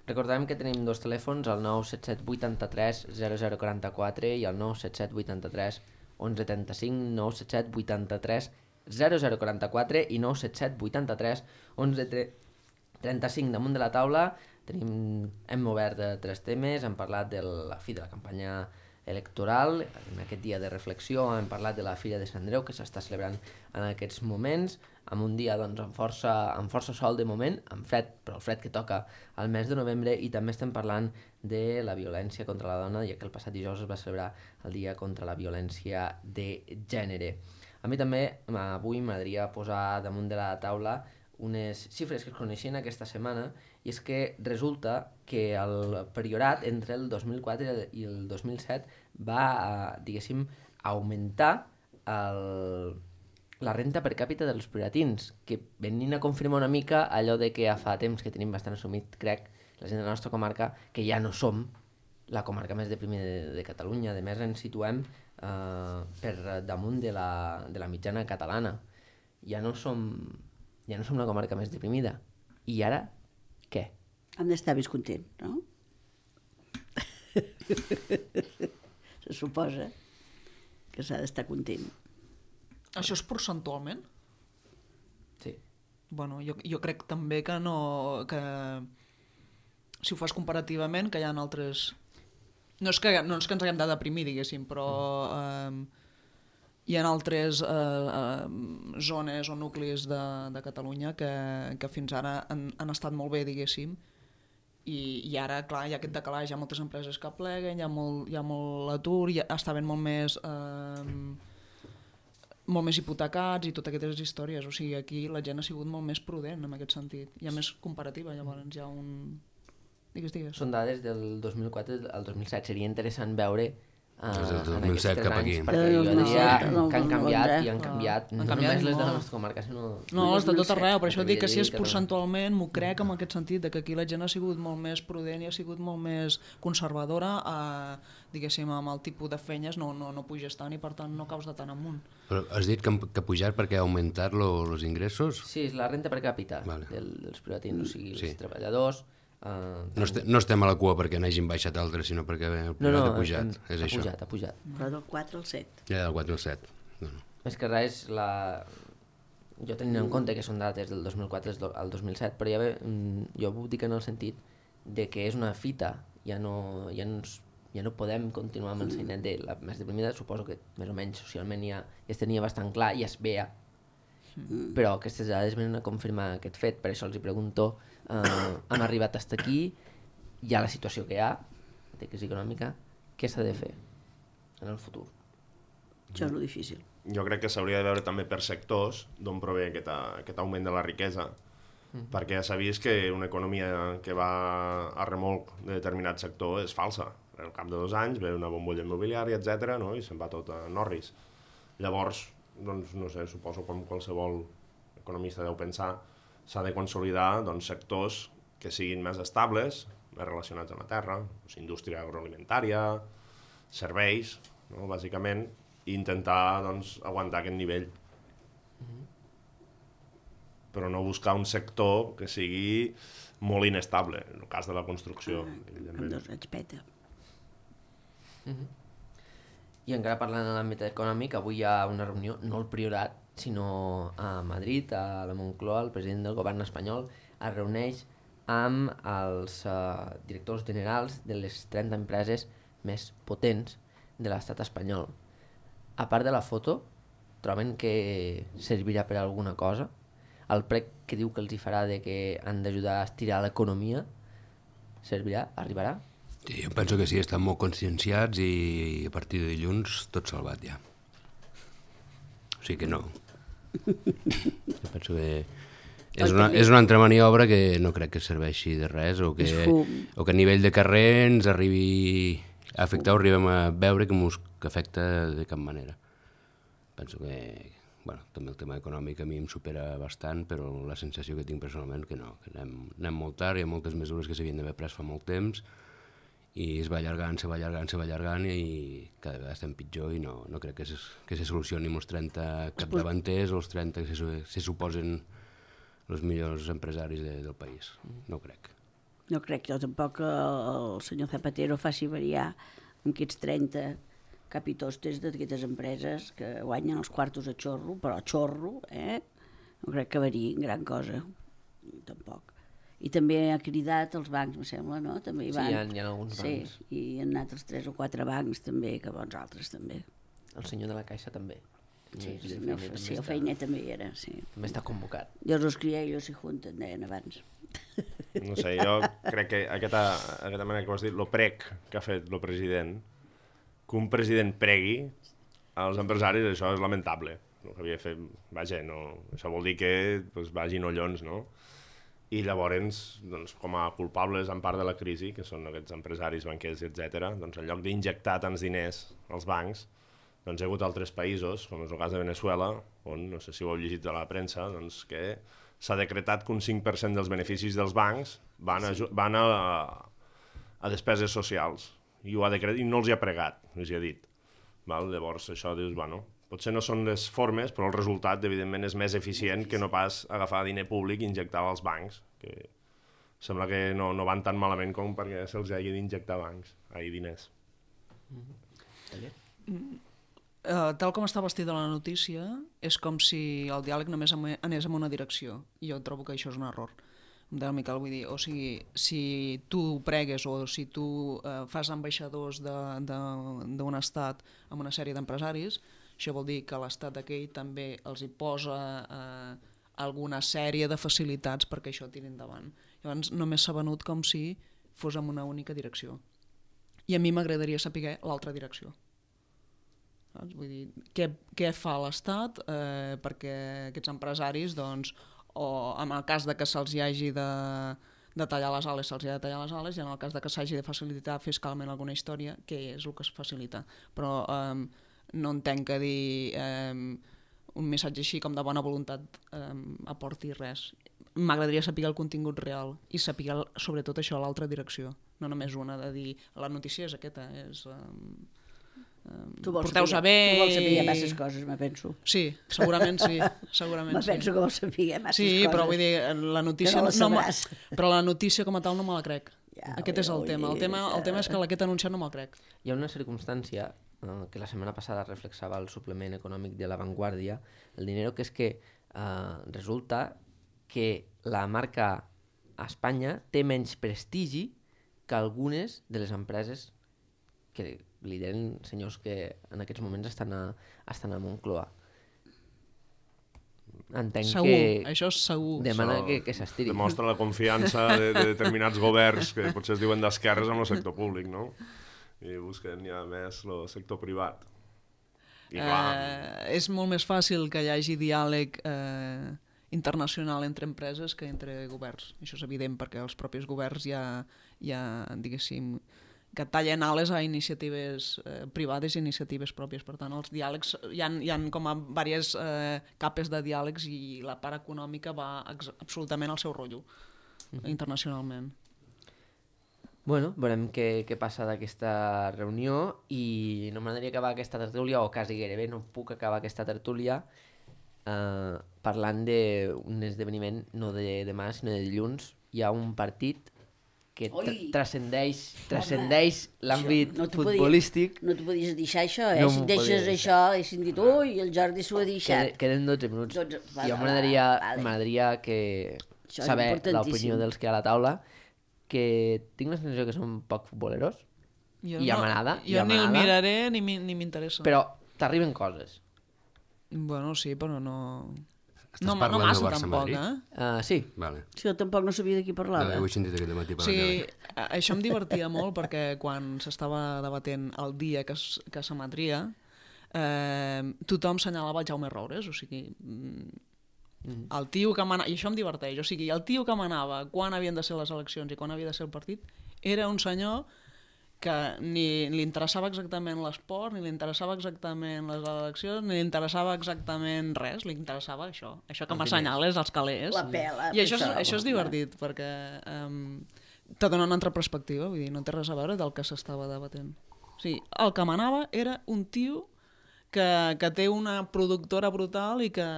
Recordem que tenim dos telèfons, el 977 83 0044 i el 977 83 1135, 977 83 0044 i 977 83 1135. Damunt de la taula hem obert 3 temes, hem parlat de la fi de la campanya electoral, en aquest dia de reflexió hem parlat de la Fira de Sant Andreu que s'està celebrant en aquests moments, amb un dia doncs, amb força sol de moment, amb fred, però el fred que toca al mes de novembre, i també estem parlant de la violència contra la dona, ja que el passat dijous es va celebrar el dia contra la violència de gènere. A mi també avui m'agradaria posar damunt de la taula unes xifres que es coneixien aquesta setmana, i és que resulta que el Priorat entre el 2004 i el 2007 va, diguéssim, augmentar la renta per càpita dels prioratins, que venint a confirmar una mica allò de que ja fa temps que tenim bastant assumit, crec, la gent de la nostra comarca, que ja no som la comarca més deprimida de Catalunya. A més, ens situem per damunt de la mitjana catalana. Ja no som la comarca més deprimida. I ara, què? Hem d'estar més content, no? Se suposa que s'ha d'estar content. Això és percentualment? Sí. Bueno, jo crec també que no... que si ho fas comparativament, que hi ha altres... No és que ens haguem de deprimir, diguéssim, però hi ha altres zones o nuclis de Catalunya que fins ara han estat molt bé, diguéssim, i ara, clar, hi ha aquest decalatge, hi ha moltes empreses que pleguen, hi ha molt atur, està havent molt més hipotecats i totes aquestes històries. O sigui, aquí la gent ha sigut molt més prudent en aquest sentit. Hi ha més comparativa, llavors hi ha un... Digues. Són dades del 2004 al 2007. Seria interessant veure des del 2007 cap aquí. Perquè jo diria que han canviat i han canviat. No només les de la nostra comarca, sinó... No, les de tot arreu. Per això dic que si és percentualment, m'ho crec en aquest sentit, de que aquí la gent ha sigut molt més prudent i ha sigut molt més conservadora, diguéssim, amb el tipus de feines no puges tant i per tant no caus de tant amunt. Però has dit que ha pujat perquè ha augmentat els ingressos? Sí, és la renta per càpita dels privatins, o sigui, els treballadors... No estem a la cua perquè n'hagin baixat altres, sinó perquè el privat ha pujat. És això. Ha pujat. Però del 4 al 7. Ja, del 4 al 7. No. Més que res, jo tenint en compte que són dates del 2004 al 2007, però ja jo ho dic en el sentit de que és una fita, ja no podem continuar amb el seinet de la més deprimida. Suposo que més o menys socialment ja es tenia bastant clar i es veia, però aquestes dades venen a confirmar aquest fet. Per això els hi pregunto, hem arribat fins aquí, hi ha la situació que hi ha de crisi econòmica, què s'ha de fer en el futur? Això és lo difícil. Jo crec que s'hauria de veure també per sectors d'on prové aquest augment de la riquesa, perquè ja s'ha vist que una economia que va a remolc de determinat sector és falsa. Al cap de 2 anys ve una bombolla immobiliària, etc., no? I se'n va tot a Norris. Llavors, doncs, no sé, suposo com qualsevol economista deu pensar, s'ha de consolidar sectors que siguin més estables, més relacionats amb la terra, indústria agroalimentària, serveis, no? Bàsicament, i intentar aguantar aquest nivell. Però no buscar un sector que sigui molt inestable, en el cas de la construcció. Amb 2 anys peta. I encara parlant en l'àmbit econòmic, avui hi ha una reunió, no al Priorat, sinó a Madrid, a la Moncloa, el president del govern espanyol es reuneix amb els directors generals de les 30 empreses més potents de l'estat espanyol. A part de la foto, troben que servirà per alguna cosa? El prec que diu que els hi farà de que han d'ajudar a estirar l'economia servirà? Arribarà? Sí, jo penso que sí, estan molt conscienciats i a partir de dilluns tot salvat ja. O sigui que no. Jo penso que és una altra maniobra que no crec que serveixi de res o que a nivell de carrer ens arribi a afectar o arribem a veure que afecta de cap manera. Penso que també el tema econòmic a mi em supera bastant, però la sensació que tinc personalment que no, que anem molt tard, hi ha moltes mesures que s'havien d'haver pres fa molt temps i es va allargant i cada vegada estem pitjor i no crec que se solucioni amb els 30 capdavanters o els 30 que se suposen els millors empresaris del país. No crec. No crec jo tampoc que el senyor Zapatero faci variar amb aquests 30 capitostes d'aquestes empreses que guanyen els quartos a xorro, però a xorro, no crec que variï gran cosa, tampoc. I també ha cridat els bancs, em sembla, no? També hi van. Sí, hi ha alguns bancs. Sí, i han anat els 3 o 4 bancs també, que bons altres també. El senyor de la Caixa també. Sí, el Feinet també hi era, sí. També està convocat. Dios los cría y ellos se junten, deien abans. No sé, jo crec que aquesta manera que ho has dit, el prec que ha fet el president, que un president pregui als empresaris, això és lamentable. el que havia fet, vaja, no, això vol dir que doncs, vagin ollons, no? I llavors, doncs, com a culpables en part de la crisi, que són aquests empresaris, banquers, etc., doncs, en lloc d'injectar tants diners als bancs, doncs hi ha hagut altres països, com és el cas de Venezuela, on, no sé si ho heu llegit a la premsa, doncs, que s'ha decretat que un 5% dels beneficis dels bancs van a despeses socials, i no els hi ha pregat, els hi ha dit. Val? Llavors, això dius, bueno, potser no són les formes, però el resultat, evidentment, és més eficient que no pas agafar diner públic i injectar-lo als bancs, que sembla que no van tan malament com perquè se'ls hagi d'injectar diners. Tal com està vestida la notícia, és com si el diàleg només anés en una direcció, i jo trobo que això és un error. Del Miquel, vull dir, o sigui, si tu pregues o si tu fas ambaixadors d'un estat amb una sèrie d'empresaris, això vol dir que l'estat aquell també els hi posa alguna sèrie de facilitats perquè això tiri endavant. Llavors només s'ha venut com si fos en una única direcció. I a mi m'agradaria saber l'altra direcció. Saps? Vull dir, què fa l'Estat perquè aquests empresaris, doncs, o en el cas de que se'ls hi hagi de tallar les ales, se'ls hi ha de tallar les ales, i en el cas de que s'hagi de facilitar fiscalment alguna història, què és el que es facilita? Però no entenc que dir un missatge així com de bona voluntat aporti res. M'agradaria saber el contingut real i saber sobretot això a l'altra direcció, no només una de dir la notícia és aquesta, és porteu-se bé. Tu vols saber masses coses, me penso. Sí, segurament sí. Me penso que vols saber masses coses. Sí, però vull dir, la notícia però la notícia com a tal no me la crec. Aquest és el tema. El tema és que aquest anunciat no me'l crec. Hi ha una circumstància que la setmana passada reflexava el suplement econòmic de La Vanguardia, el Dinero, que és que resulta que la marca a Espanya té menys prestigi que algunes de les empreses que lideren senyors que en aquests moments estan a Moncloa. Entenc segur, que això és segur. demana que s'estiri. Demostra la confiança de determinats governs que potser es diuen d'esquerres amb el sector públic, no? I busquen ja més el sector privat. I clar, És molt més fàcil que hi hagi diàleg internacional entre empreses que entre governs. Això és evident perquè els propis governs ja diguéssim, que tallen ales a iniciatives privades i iniciatives pròpies. Per tant, els diàlegs, hi ha com a diverses capes de diàlegs i la part econòmica va absolutament al seu rotllo internacionalment. Bueno, veurem què passa d'aquesta reunió i no m'agradaria acabar aquesta tertúlia, o quasi gairebé no puc acabar aquesta tertúlia parlant d'un esdeveniment no de demà sinó de dilluns. Hi ha un partit que transcendeix l'àmbit futbolístic. No t'ho podies deixar això, si deixes això haguessin dit ui, el Jordi s'ho ha deixat. Queden 12 minuts. Jo m'agradaria saber l'opinió dels que hi ha a la taula, que tinc la sensació que són poc futboleros, i ja m'agrada. Jo ni el miraré ni m'interessa. Però t'arriben coses. Bueno, sí, però no... Estàs parlant massa, del Barça-Madrid? tampoc, Sí. Vale. Sí, jo tampoc no sabia de qui parlava. Ho he sentit aquest matí per això em divertia molt perquè quan s'estava debatent el dia que s'emetria, tothom senyalava el Jaume Roures, o sigui... El tio que manava, i això em diverteix, o sigui, el tio que manava quan havien de ser les eleccions i quan havia de ser el partit era un senyor que ni li interessava exactament l'esport, ni li interessava exactament les eleccions, ni li interessava exactament res, li interessava això que m'assenyales els calés. La pela. I això és divertit, perquè te dona una altra perspectiva, vull dir, no té res a veure del que s'estava debatent. O sigui, el que manava era un tio que té una productora brutal i que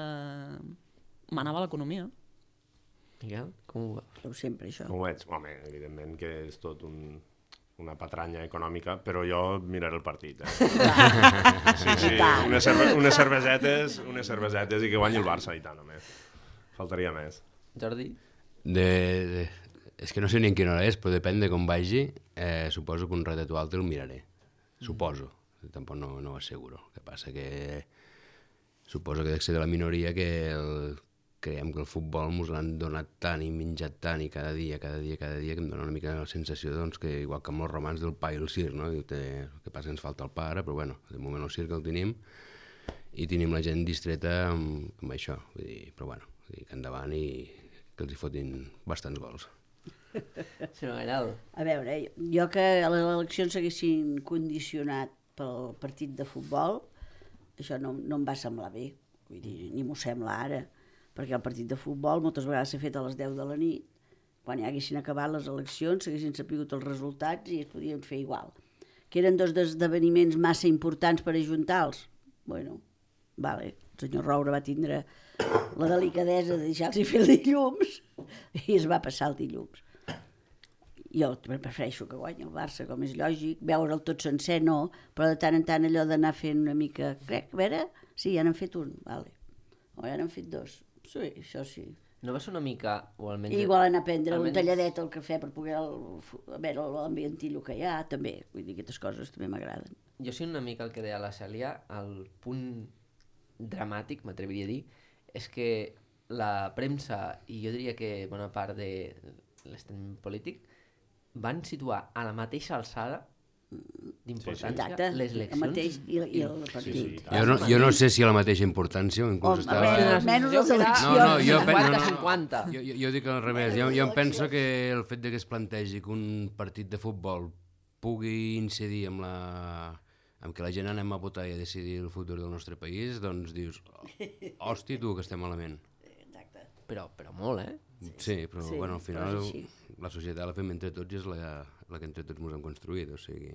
manava l'economia. Miquel, com ho veus? Sempre, això. ho veig. Home, evidentment que és tot una patranya econòmica, però jo miraré el partit. Sí, unes cervesetes i que guanyi el Barça, i tant, home. Faltaria més. Jordi? És que no sé ni en quina hora és, però depèn de com vagi. Suposo que un ratet o altre el miraré. Suposo. Tampoc no ho asseguro. El que passa que suposo que dec ser de la minoria que creiem que el futbol ens l'han donat tant i menjat tant i cada dia, que em dona una mica la sensació doncs, que igual que amb els romans del pa i el circ, no? El que passa que ens falta el pare, però bueno, de moment el circ el tenim i tenim la gent distreta amb això. Vull dir, però bueno, vull dir que endavant i que els hi fotin bastants gols. Senyor Gairal. A veure, jo que les eleccions s'haguessin condicionat pel partit de futbol, això no em va semblar bé, vull dir, ni m'ho sembla ara, perquè el partit de futbol moltes vegades s'ha fet a les 10 de la nit, quan ja haguessin acabat les eleccions, s'haguessin sapigut els resultats i es podien fer igual. Que eren dos esdeveniments massa importants per ajuntar-los. Bueno, vale, el senyor Roure va tindre la delicadesa de deixar-los fer el dilluns i es va passar el dilluns. Jo prefereixo que guanyi el Barça, com és lògic, veure'l tot sencer no, però de tant en tant allò d'anar fent una mica, crec, a veure, sí, ja n'han fet un, vale. O ja n'han fet dos, sí, això sí. No va ser una mica, o almenys... Igual anar a prendre un talladet al cafè per poder veure l'ambientillo que hi ha, també, vull dir, aquestes coses també m'agraden. Jo sí una mica el que deia la Cèlia, el punt dramàtic, m'atreviria a dir, és que la premsa, i jo diria que bona part de l'estat polític, van situar a la mateixa alçada d'importància les eleccions. El mateix i el partit. Jo no sé si a la mateixa importància o inclús estava... Menys les eleccions. 50-50. Jo dic al revés. Jo em penso que el fet que es plantegi que un partit de futbol pugui incidir amb que la gent anem a votar i a decidir el futur del nostre país, doncs dius, hòstia, tu, que estem malament. Exacte. Però molt, eh? Sí, però bueno, al final però és així. la societat la fem entre tots i és la que entre tots ens hem construït, o sigui,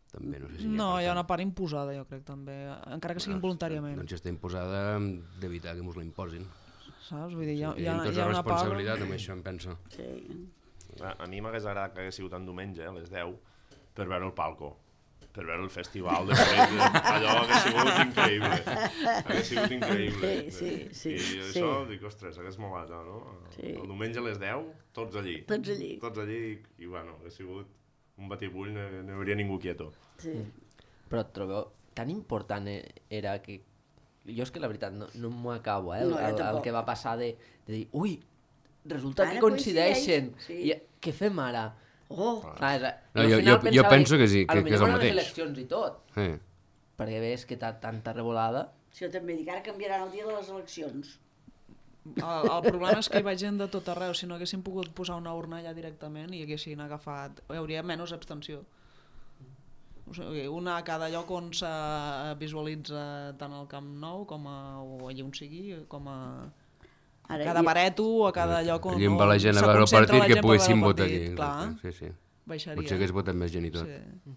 també no sé si... No, hi ha una part imposada, jo crec, també, encara que sigui involuntàriament. Doncs està imposada d'evitar que ens la imposin. Saps? Vull dir, hi ha tota una part... responsabilitat amb això, em penso. Sí. A mi m'hagués agradat que hagués sigut en diumenge, a les 10, per veure el palco, per veure el festival de allò hagués sigut increïble. Hagués sigut increïble. Sí. I això, dic, ostres, hagués molat, no? Sí. El diumenge a les 10, tots allí. Tots allí, i bueno, hagués sigut un batibull, no hi hauria ningú quieto. Sí. Però et trobeu tan important era que... Jo és que la veritat no m'ho acabo, No, el que va passar de dir, ui, resulta Ara que coincideixen. coincideix, sí. I què fem ara? Oh, Jo penso que sí, que és el mateix. les eleccions i tot, Sí. perquè ves que tanta revolada... si jo també dic, ara canviaran el dia de les eleccions. El problema és que hi va gent de tot arreu. Si no haguessin pogut posar una urna allà directament i haguessin agafat... Hi hauria menys abstenció. O sigui, una a cada lloc on se visualitza tant al Camp Nou com o allà on sigui, com a... Ara, cada bareto o a cada lloc on, Allí on va la gent a veure el partit que poguessin votar aquí. Clar, Sí. baixaria. Potser hagués votat més gent i tot. Sí.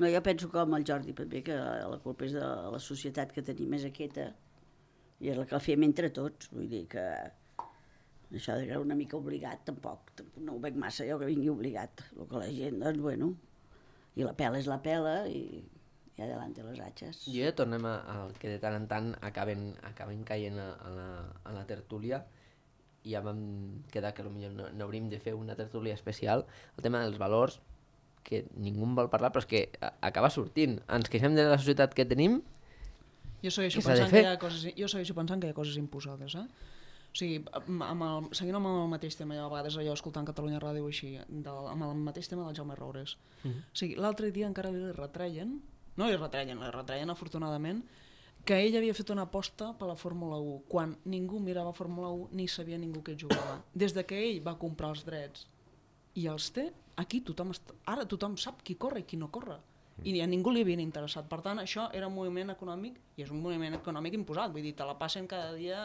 No, jo penso com el Jordi, també, que la culpa és de la societat que tenim és aquesta i és la que la fem entre tots. Vull dir que això era una mica obligat, tampoc no ho veig massa jo que vingui obligat. El que la gent, doncs, bueno, i la pela és la pela i adelante les atxes. Jo ja tornem al que de tant en tant acaben caient a la tertúlia i ja vam quedar que potser no hauríem de fer una tertúlia especial. El tema dels valors, que ningú en vol parlar, però és que acaba sortint. Ens queixem de la societat que tenim. Jo segueixo Què s'ha de pensant fer? jo segueixo pensant que hi ha coses imposades, eh? O sigui, seguint amb el mateix tema, jo a vegades allò escoltant Catalunya Ràdio així, amb el mateix tema del Jaume Roures. O sigui, l'altre dia encara li retreien afortunadament, que ell havia fet una aposta per la Fórmula 1, quan ningú mirava Fórmula 1 ni sabia ningú que jugava. Des de que ell va comprar els drets i els té, aquí ara tothom sap qui corre i qui no corre. I a ningú li havien interessat. Per tant, això era un moviment econòmic, i és un moviment econòmic imposat. Vull dir, te la passen cada dia,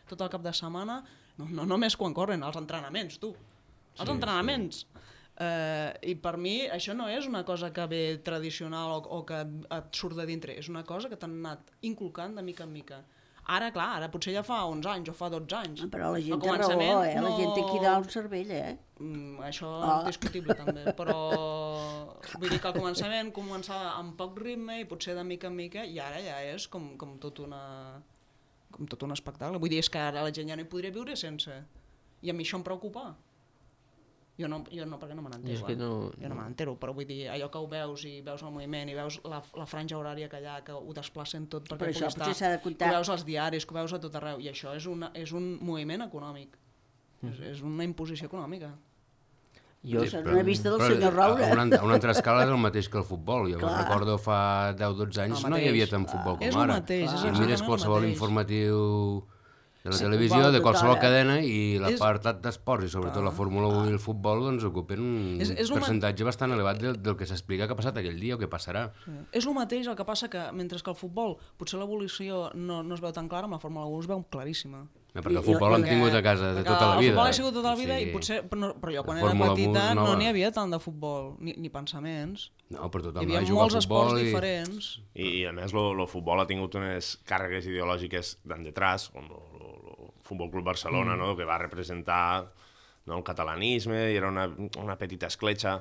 tot el cap de setmana, no només quan corren, els entrenaments, tu. Els entrenaments. I per mi això no és una cosa que ve tradicional o que et surt de dintre, és una cosa que t'han anat inculcant de mica en mica. Ara, clar, ara potser ja fa 11 anys o fa 12 anys. Però la gent té raó, la gent té aquí dalt un cervell, Això és discutible també, però vull dir que al començament començava amb poc ritme i potser de mica en mica, i ara ja és com tot un espectacle. Vull dir, és que ara la gent ja no hi podria viure sense, i a mi això em preocupa. Jo no, perquè no me n'entero. Jo no me n'entero, però vull dir, allò que ho veus i veus el moviment i veus la franja horària que hi ha, que ho desplacen tot perquè pugui estar, que ho veus als diaris, que ho veus a tot arreu, i això és un moviment econòmic, és una imposició econòmica. Això és una vista del senyor Roure. A una altra escala és el mateix que el futbol. Jo recordo fa 10-12 anys no hi havia tant futbol com ara. Si mires qualsevol informatiu de la televisió, de qualsevol cadena, i l'apartat d'esports, i sobretot la Fórmula 1 i el futbol, doncs ocupen un percentatge bastant elevat del que s'explica que ha passat aquell dia o que passarà. És el mateix, el que passa que mentre que el futbol potser l'evolució no es veu tan clara, amb la Fórmula 1 es veu claríssima. Perquè el futbol l'hem tingut a casa de tota la vida. El futbol ha sigut tota la vida, i potser, però jo quan era petita no n'hi havia tant de futbol, ni pensaments. No, però tothom hi havia molts esports diferents. I a més el futbol ha tingut unes càrregues ideològiques d'en detrás, com el Futbol Club Barcelona, que va representar el catalanisme, i era una petita escletxa,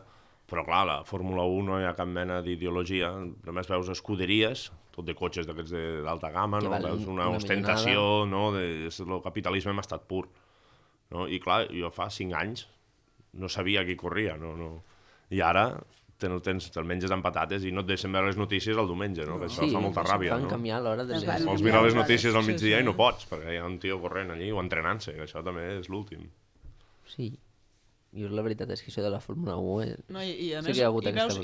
però clar, la Fórmula 1 no hi ha cap mena d'ideologia, només veus escuderies, tot de cotxes d'aquests d'alta gamma, veus una ostentació, el capitalisme hem estat pur. I clar, jo fa 5 anys no sabia qui corria, i ara te'l menges amb patates i no et deixen veure les notícies el diumenge, que això fa molta ràbia. Fan canviar l'hora de les... Vols mirar les notícies al migdia i no pots, perquè hi ha un tio corrent allí o entrenant-se, que això també és l'últim. Sí, jo la veritat és que això de la Fórmula 1... I a més,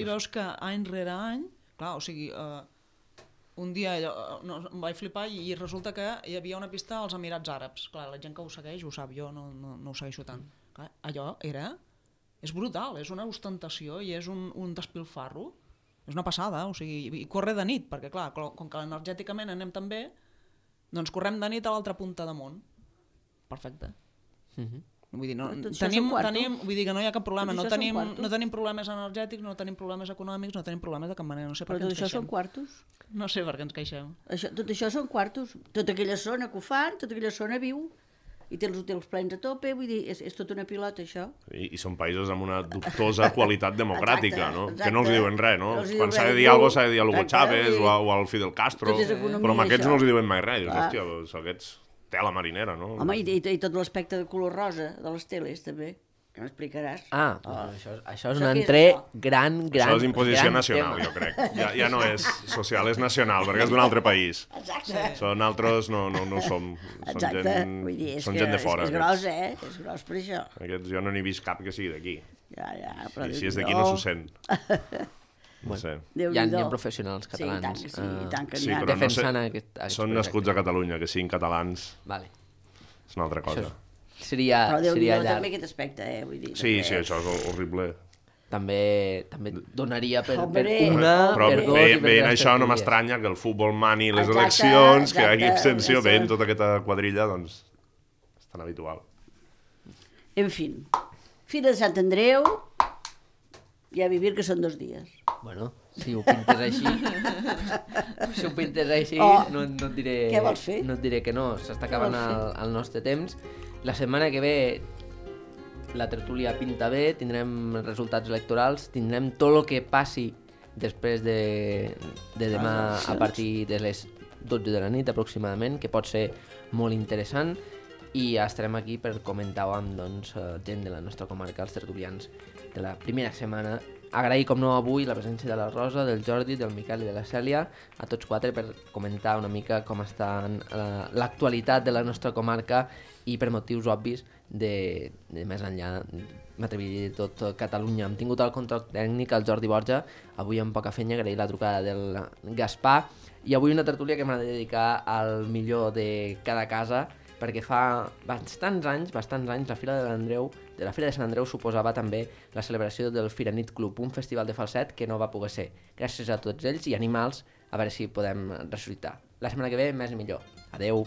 veus que any rere any, clar, o sigui, un dia em vaig flipar i resulta que hi havia una pista als Emirats Àrabs. Clar, la gent que ho segueix ho sap, jo no ho segueixo tant. Clar, allò és brutal, és una ostentació i és un despilfarro. És una passada, o sigui, i corre de nit, perquè clar, com que energèticament anem tan bé, doncs correm de nit a l'altra punta de món. Perfecte. Vull dir, vull dir que no hi ha cap problema, no tenim problemes energètics, no tenim problemes econòmics, no tenim problemes de cap manera, no sé per què ens queixem. Però tot això són quartos? No sé per què ens queixem. Tot això són quartos, tota aquella zona que ho fan, tota aquella zona viu, i té els hotels plens a tope, vull dir, és tota una pilota, això. I són països amb una dubtosa qualitat democràtica, que no els diuen res, no? Quan s'ha de dir alguna cosa s'ha de dir a Hugo Chávez o al Fidel Castro, però amb aquests no els diuen mai res. Hòstia, aquests tela marinera, no? Home, i tot l'aspecte de color rosa de les teles, també, que m'explicaràs. Això és un altre gran Això és imposició nacional, jo crec. Ja no és social, és nacional, perquè és d'un altre país. Exacte. Nosaltres no som. Són gent de fora. És gros, És gros per això. Aquests jo no n'he vist cap que sigui d'aquí. Però i si és d'aquí no s'ho sent. No sé. Hi ha professionals catalans defensant aquest... Són nascuts a Catalunya, que siguin catalans és una altra cosa. Però Déu-n'hi-do també aquest aspecte, vull dir. Sí, això és horrible. També donaria per una, però per dos i per veient això no m'estranya que el futbol mani les eleccions, que hi hagi abstenció, veient tota aquesta quadrilla, doncs és tan habitual. En fi, Fira de Sant Andreu i a vivir, que són 2 dies. Bueno, si ho pintes així, no et diré... Què vols fer? No et diré que no, s'està acabant el nostre temps. La setmana que ve la tertúlia pinta bé, tindrem resultats electorals, tindrem tot el que passi després de demà a partir de les 12 de la nit aproximadament, que pot ser molt interessant, i estarem aquí per comentar-ho amb gent de la nostra comarca, els tertulians de la primera setmana. Agrair, com no, avui la presència de la Rosa, del Jordi, del Miquel i de la Cèlia, a tots 4 per comentar una mica com està l'actualitat de la nostra comarca i per motius obvis de més enllà, m'atreviria a dir, tot Catalunya. Hem tingut el control tècnic el Jordi Borja, avui amb poca fenya, agrair la trucada del Gaspar, i avui una tertúlia que m'ha de dedicar al millor de cada casa, perquè fa bastants anys la Fira de Sant Andreu suposava també la celebració del Firanit Club, un festival de falset que no va poder ser. Gràcies a tots ells i animals, a veure si podem ressuscitar. La setmana que ve, més i millor. Adeu.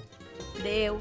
Adeu.